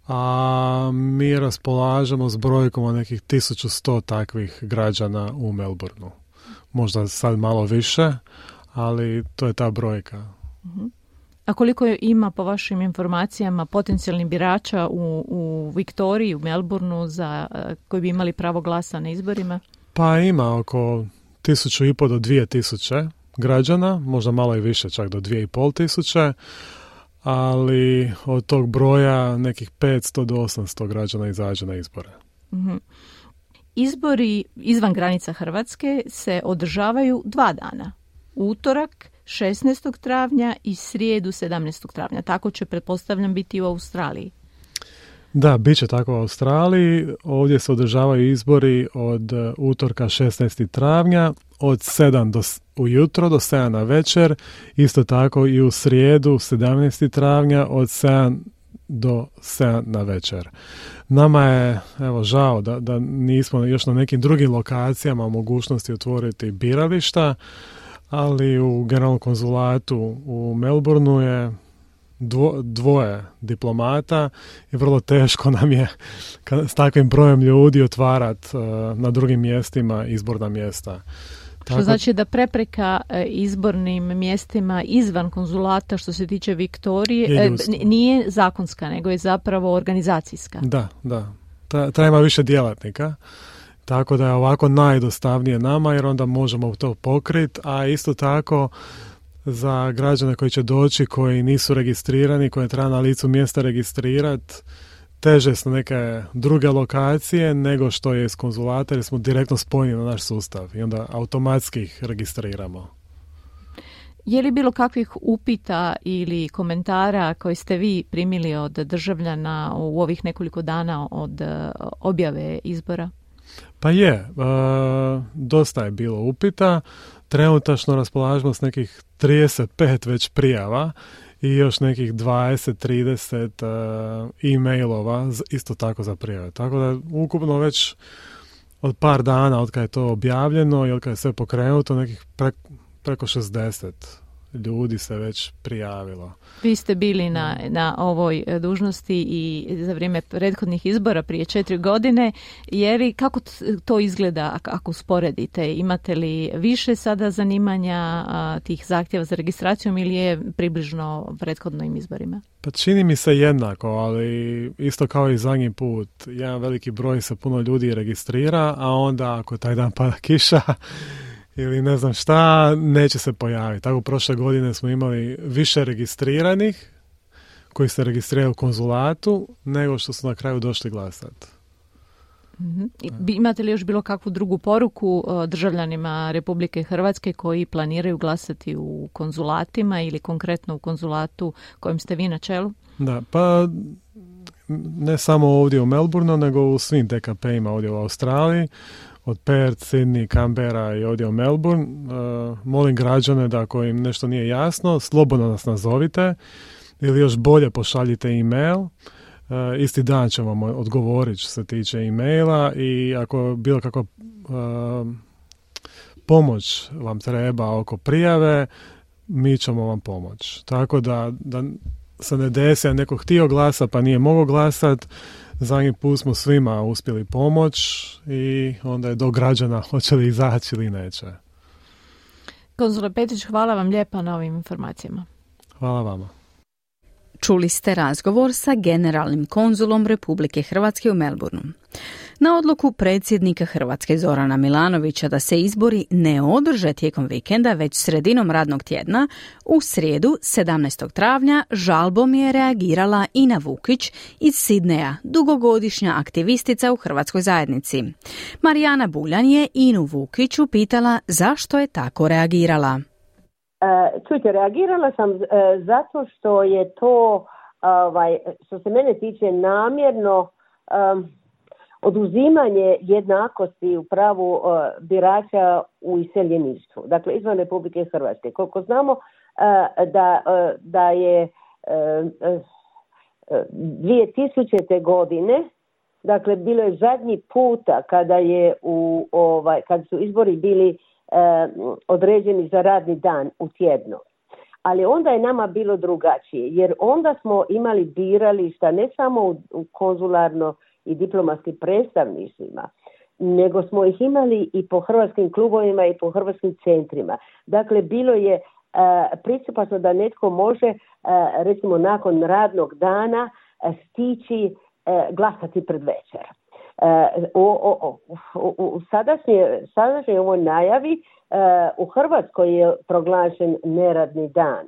a mi raspolažemo s brojkom od nekih tisuću sto takvih građana u Melbourneu. Možda sad malo više, ali to je ta brojka. Uh-huh. A koliko ima, po vašim informacijama, potencijalnih birača u, u Viktoriji, u Melbourneu, za, koji bi imali pravo glasa na izborima? Pa ima oko tisuću i pol do dvije tisuće građana, možda malo i više, čak do dvije i pol tisuće, ali od tog broja nekih petsto do osamsto građana izađe na izbore. Uh-huh. Izbori izvan granica Hrvatske se održavaju dva dana. Utorak šesnaestog travnja i srijedu sedamnaestog travnja. Tako će, pretpostavljam, biti u Australiji. Da, bit će tako u Australiji. Ovdje se održavaju izbori od utorka šesnaestog travnja od sedam do, ujutro do sedam na večer. Isto tako i u srijedu sedamnaestog travnja od sedam do sedam na večer. Nama je, evo, žao da, da nismo još na nekim drugim lokacijama u mogućnosti otvoriti birališta, ali u generalnom konzulatu u Melbourneu je dvo, dvoje diplomata i vrlo teško nam je s takvim brojem ljudi otvarati uh, na drugim mjestima izborna mjesta. Što znači da prepreka izbornim mjestima izvan konzulata što se tiče Viktorije nije zakonska, nego je zapravo organizacijska. Da, da. Treba više djelatnika. Tako da je ovako najdostavnije nama jer onda možemo to pokriti, a isto tako za građane koji će doći, koji nisu registrirani, koje treba na licu mjesta registrirati, teže su neke druge lokacije nego što je iz konzulata jer smo direktno spojeni na naš sustav i onda automatski ih registriramo. Je li bilo kakvih upita ili komentara koje ste vi primili od državljana u ovih nekoliko dana od objave izbora? Pa je, e, dosta je bilo upita. Trenutačno raspolažemo s nekih trideset pet već prijava i još nekih dvadeset trideset e, e-mailova isto tako za prijave. Tako da ukupno već od par dana od kada je to objavljeno i od kada je sve pokrenuto nekih pre, preko šezdeset ljudi se već prijavilo. Vi ste bili na, na ovoj dužnosti i za vrijeme prethodnih izbora prije četiri godine. Je li, kako to izgleda ako usporedite? Imate li više sada zanimanja a, tih zahtjeva za registracijom ili je približno prethodnim izborima? Pa čini mi se jednako, ali isto kao i zadnji put. Jedan veliki broj se puno ljudi registrira, a onda ako taj dan pada kiša ili ne znam šta, neće se pojaviti. Tako prošle godine smo imali više registriranih koji se registriraju u konzulatu nego što su na kraju došli glasati. Mm-hmm. Imate li još bilo kakvu drugu poruku državljanima Republike Hrvatske koji planiraju glasati u konzulatima ili konkretno u konzulatu kojim ste vi na čelu? Da, pa ne samo ovdje u Melbourneu, nego u svim D K P-ima ovdje u Australiji. Od Perth, Sydney, Canberra i ovdje u Melbourne. Uh, molim građane da ako im nešto nije jasno, slobodno nas nazovite ili još bolje pošaljite e-mail. Uh, isti dan ćemo vam odgovoriti što se tiče e-maila i ako bilo kakva uh, pomoć vam treba oko prijave, mi ćemo vam pomoći. Tako da, da se ne desi, a neko htio glasa pa nije mogao glasati, zadnji put smo svima uspjeli pomoć i onda je do građana hoće li izaći ili neće. Konzule Petrić, hvala vam lijepa na ovim informacijama. Hvala vama. Čuli ste razgovor sa generalnim konzulom Republike Hrvatske u Melbourneu. Na odluku predsjednika Hrvatske Zorana Milanovića da se izbori ne održe tijekom vikenda već sredinom radnog tjedna, u srijedu sedamnaestog travnja žalbom je reagirala Ina Vukić iz Sidneja, dugogodišnja aktivistica u hrvatskoj zajednici. Marijana Buljan je Inu Vukić upitala zašto je tako reagirala. Uh, čujte, reagirala sam uh, zato što je to, ovaj, što se mene tiče, namjerno um, oduzimanje jednakosti u pravu uh, birača u iseljeništvu, dakle izvan Republike Hrvatske. Koliko znamo uh, da, uh, da je uh, uh, dvije tisućite. godine, dakle bilo je zadnji puta kada je u ovaj kad su izbori bili određeni za radni dan u tjednu. Ali onda je nama bilo drugačije, jer onda smo imali birališta ne samo u, u konzularno i diplomatskim predstavništvima, nego smo ih imali i po hrvatskim klubovima i po hrvatskim centrima. Dakle, bilo je uh, pristupačno da netko može, uh, recimo nakon radnog dana, uh, stići uh, glasati pred večer. Uh, u, u, u, u sadašnje, sadašnje ovoj najavi uh, u Hrvatskoj je proglašen neradni dan.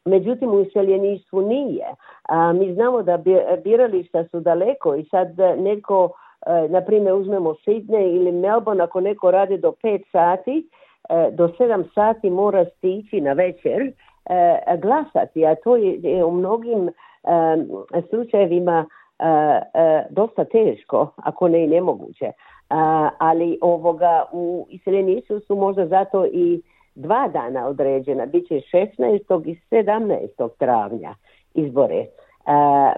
Međutim, u iseljeništvu nije. Uh, mi znamo da birališta su daleko i sad netko, uh, na primjer, uzmemo Sydney ili Melbourne, ako neko radi do pet sati, uh, do sedam sati mora stići na večer uh, glasati, a to je, je u mnogim um, slučajevima Uh, uh, dosta teško, ako ne i nemoguće. Uh, ali ovoga u iseljeništvu su možda zato i dva dana određena. Biće šesnaestog i sedamnaestog travnja izbore. Uh,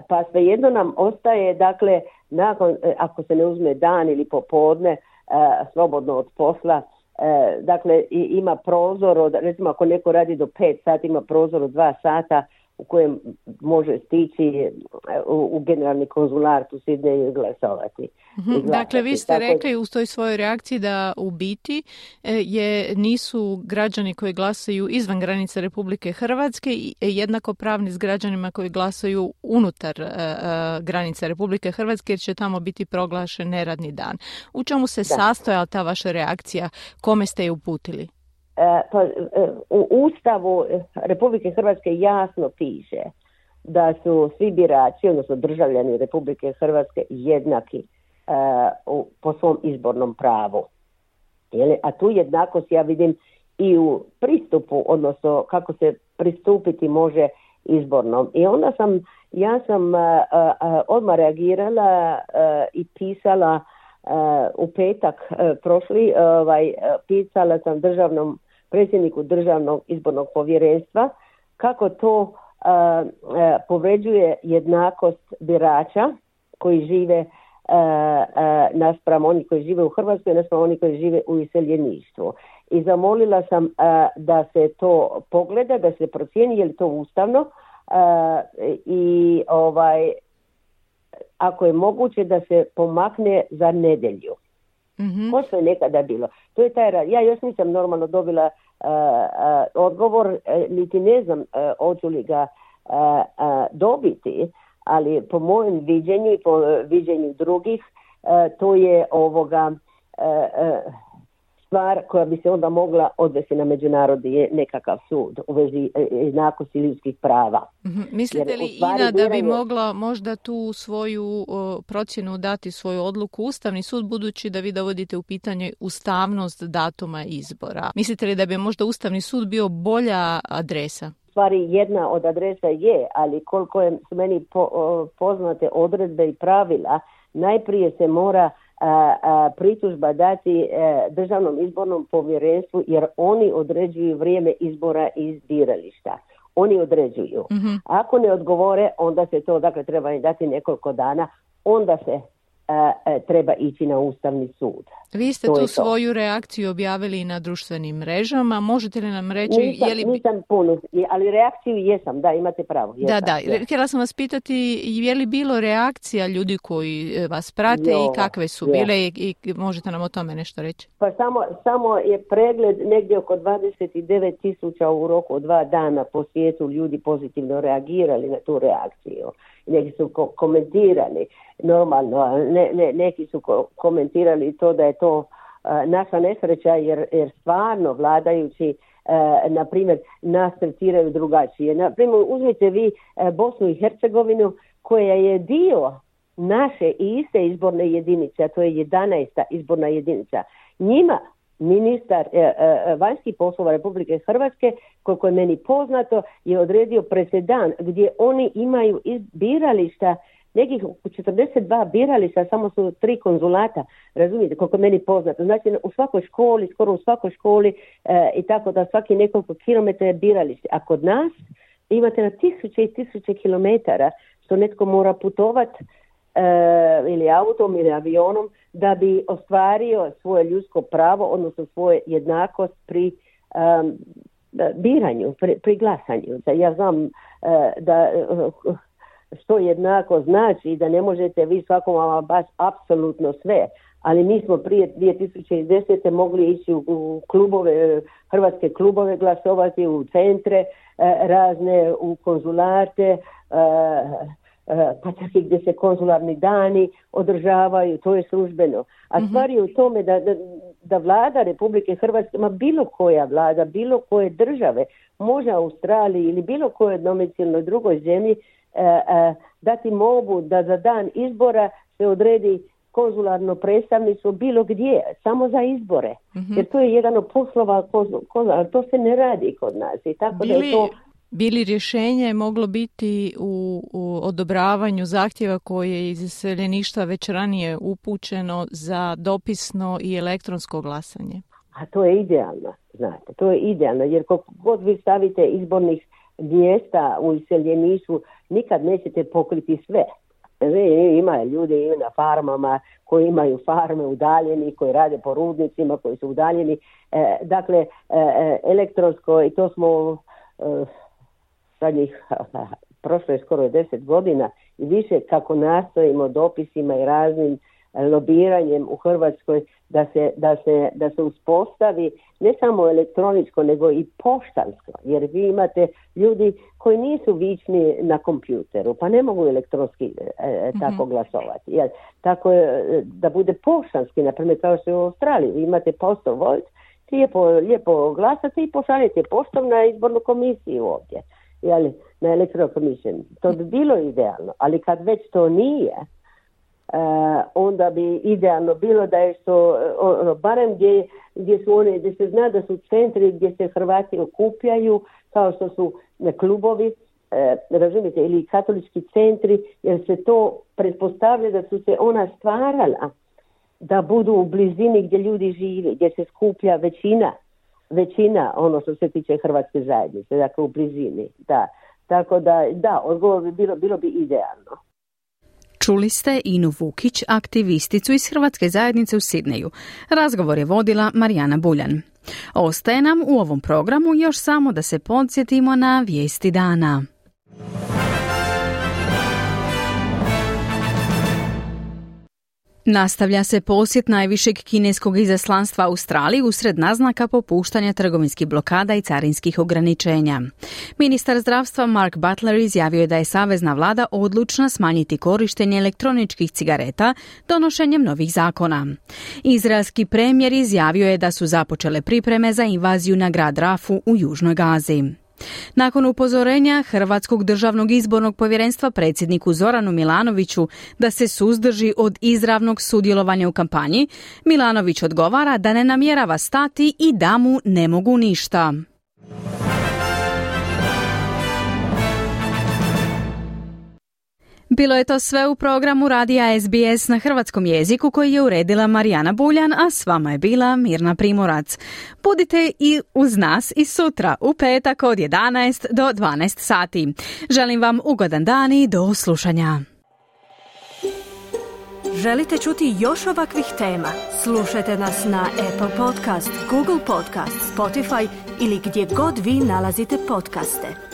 pa svejedno nam ostaje, dakle, nakon, ako se ne uzme dan ili popodne, uh, slobodno od posla, uh, dakle, i, ima prozor od, recimo ako neko radi do pet sati, ima prozor od dva sata u kojem može stići u, u generalni konzulat u Sidneju i glasovati. Mm-hmm. Dakle, vi ste Tako... rekli u toj svojoj reakciji da u biti je, nisu građani koji glasaju izvan granica Republike Hrvatske jednako pravni s građanima koji glasaju unutar uh, granica Republike Hrvatske jer će tamo biti proglašen neradni dan. U čemu se da. sastojala ta vaša reakcija? Kome ste je uputili? Pa, u Ustavu Republike Hrvatske jasno piše da su svi birači, odnosno državljani Republike Hrvatske jednaki uh, po svom izbornom pravu. A tu jednakost ja vidim i u pristupu, odnosno kako se pristupiti može izbornom. I onda sam, ja sam uh, uh, odmah reagirala uh, i pisala uh, u petak uh, prošli, ovaj, uh, pisala sam državnom predsjedniku Državnog izbornog povjerenstva kako to uh, uh, povređuje jednakost birača koji žive uh, uh, naspram oni koji žive u Hrvatskoj, naspram oni koji žive u iseljeništvu. I zamolila sam uh, da se to pogleda, da se procijeni je li to ustavno uh, i ovaj, ako je moguće da se pomakne za nedjelju. Mm-hmm. Ko što je nekada bilo. To je taj rad. Ja još nisam normalno dobila uh, uh, odgovor, uh, niti ne znam uh, hoću li ga uh, uh, dobiti, ali po mojem viđenju i po uh, viđenju drugih uh, to je ovoga uh, uh, stvar koja bi se onda mogla odvesti na međunarodni nekakav sud u vezi jednakosti ljudskih prava. Mm-hmm. Mislite li, Ina, da bi mogla možda tu svoju o, procjenu dati, svoju odluku Ustavni sud, budući da vi dovodite u pitanje ustavnost datuma izbora? Mislite li da bi možda Ustavni sud bio bolja adresa? Stvari jedna od adresa je, ali koliko je su meni po, o, poznate odredbe i pravila, najprije se mora A, a, pritužba dati a, Državnom izbornom povjerenstvu jer oni određuju vrijeme izbora iz birališta. Oni određuju. Mm-hmm. Ako ne odgovore, onda se to, dakle, treba im dati nekoliko dana, onda se a, a, treba ići na Ustavni sud. Vi ste to tu svoju reakciju objavili na društvenim mrežama. Možete li nam reći... Nisam, je li... nisam puno, ali reakciju jesam, da, imate pravo. Jesam, da, da. Jesam. Htjela sam vas pitati, je li bilo reakcija ljudi koji vas prate jo, i kakve su jo. bile i, i možete nam o tome nešto reći? Pa samo, samo je pregled negdje oko dvadeset devet tisuća u roku od dva dana po svijetu ljudi pozitivno reagirali na tu reakciju. Neki su ko- komentirali normalno, ne, ne, neki su ko- komentirali to da je to uh, naša nesreća jer, jer stvarno vladajući uh, na primjer nas tretiraju drugačije. Na primjer uzmite vi uh, Bosnu i Hercegovinu koja je dio naše i iste izborne jedinice, a to je jedanaesta izborna jedinica. Njima ministar e, e, vanjskih poslova Republike Hrvatske, koliko je meni poznato, je odredio presedan gdje oni imaju birališta, nekih četrdeset dva birališta, samo su tri konzulata, razumijete, koliko je meni poznato. Znači u svakoj školi, skoro u svakoj školi e, i tako da svaki nekoliko kilometara je biralište. A kod nas imate na tisuće i tisuće kilometara što netko mora putovati e, ili autom ili avionom da bi ostvario svoje ljudsko pravo, odnosno svoje jednakost pri um, biranju, pri, pri glasanju. Ja znam uh, da uh, što jednako znači da ne možete vi svakom baš apsolutno sve, ali mi smo prije dvije tisuće desete mogli ići u, u klubove, hrvatske klubove glasovati, u centre uh, razne, u konzulate, uh, pa čak i gdje se konzularni dani održavaju, to je službeno. A mm-hmm. stvar je u tome da, da, da vlada Republike Hrvatske, ma bilo koja vlada, bilo koje države, može Australiji ili bilo kojoj domicilnoj drugoj zemlji eh, eh, dati mogu da za dan izbora se odredi konzularno predstavništvo bilo gdje, samo za izbore. Mm-hmm. Jer to je jedan od poslova konzularnog, to se ne radi kod nas. I tako Bili... da je to... Bili rješenje moglo biti u, u odobravanju zahtjeva koje je iz iseljeništva već ranije upućeno za dopisno i elektronsko glasanje? A to je idealno, znate, to je idealno, jer koliko god vi stavite izbornih mjesta u iseljeništvu, nikad nećete pokriti sve. Ima ljudi na farmama koji imaju farme udaljeni, koji rade po rudnicima, koji su udaljeni. E, dakle, e, elektronsko, i to smo... E, zadnjih, prošlo je skoro deset godina i više, kako nastojimo dopisima i raznim lobiranjem u Hrvatskoj da se, da se, da se uspostavi ne samo elektroničko nego i poštansko, jer vi imate ljudi koji nisu vični na kompjuteru pa ne mogu elektronski e, tako mm-hmm. glasovati. Jer, tako je, da bude poštanski, na primjer kao što je u Australiji, vi imate postal vote, lijepo, lijepo glasate i pošaljete poštom na izbornu komisiju ovdje, jel, na electoral commission. To bi bilo idealno, ali kad već to nije, Uh, onda bi idealno bilo da je to ono, barem gdje, gdje su one, gdje se zna da su centri gdje se Hrvati okupljaju, kao što su klubovi, uh, razumijete, ili katolički centri, jer se to pretpostavlja da su se ona stvarala da budu u blizini gdje ljudi žive, gdje se skuplja većina, većina ono što se tiče hrvatske zajednice, dakle u blizini, da. Tako da, da, odgovor bi bilo, bilo bi idealno. Čuli ste Inu Vukić, aktivisticu iz Hrvatske zajednice u Sidneju. Razgovor je vodila Marijana Buljan. Ostaje nam u ovom programu još samo da se podsjetimo na vijesti dana. Nastavlja se posjet najvišeg kineskog izaslanstva Australiji usred naznaka popuštanja trgovinskih blokada i carinskih ograničenja. Ministar zdravstva Mark Butler izjavio je da je savezna vlada odlučna smanjiti korištenje elektroničkih cigareta donošenjem novih zakona. Izraelski premijer izjavio je da su započele pripreme za invaziju na grad Rafu u Južnoj Gazi. Nakon upozorenja Hrvatskog državnog izbornog povjerenstva predsjedniku Zoranu Milanoviću da se suzdrži od izravnog sudjelovanja u kampanji, Milanović odgovara da ne namjerava stati i da mu ne mogu ništa. Bilo je to sve u programu radija S B S na hrvatskom jeziku koji je uredila Marijana Buljan, a s vama je bila Mirna Primorac. Budite i uz nas i sutra u petak od jedanaest do dvanaest sati. Želim vam ugodan dan i do slušanja. Želite čuti još ovakvih tema? Slušajte nas na Apple Podcast, Google Podcast, Spotify ili gdje god vi nalazite podcaste.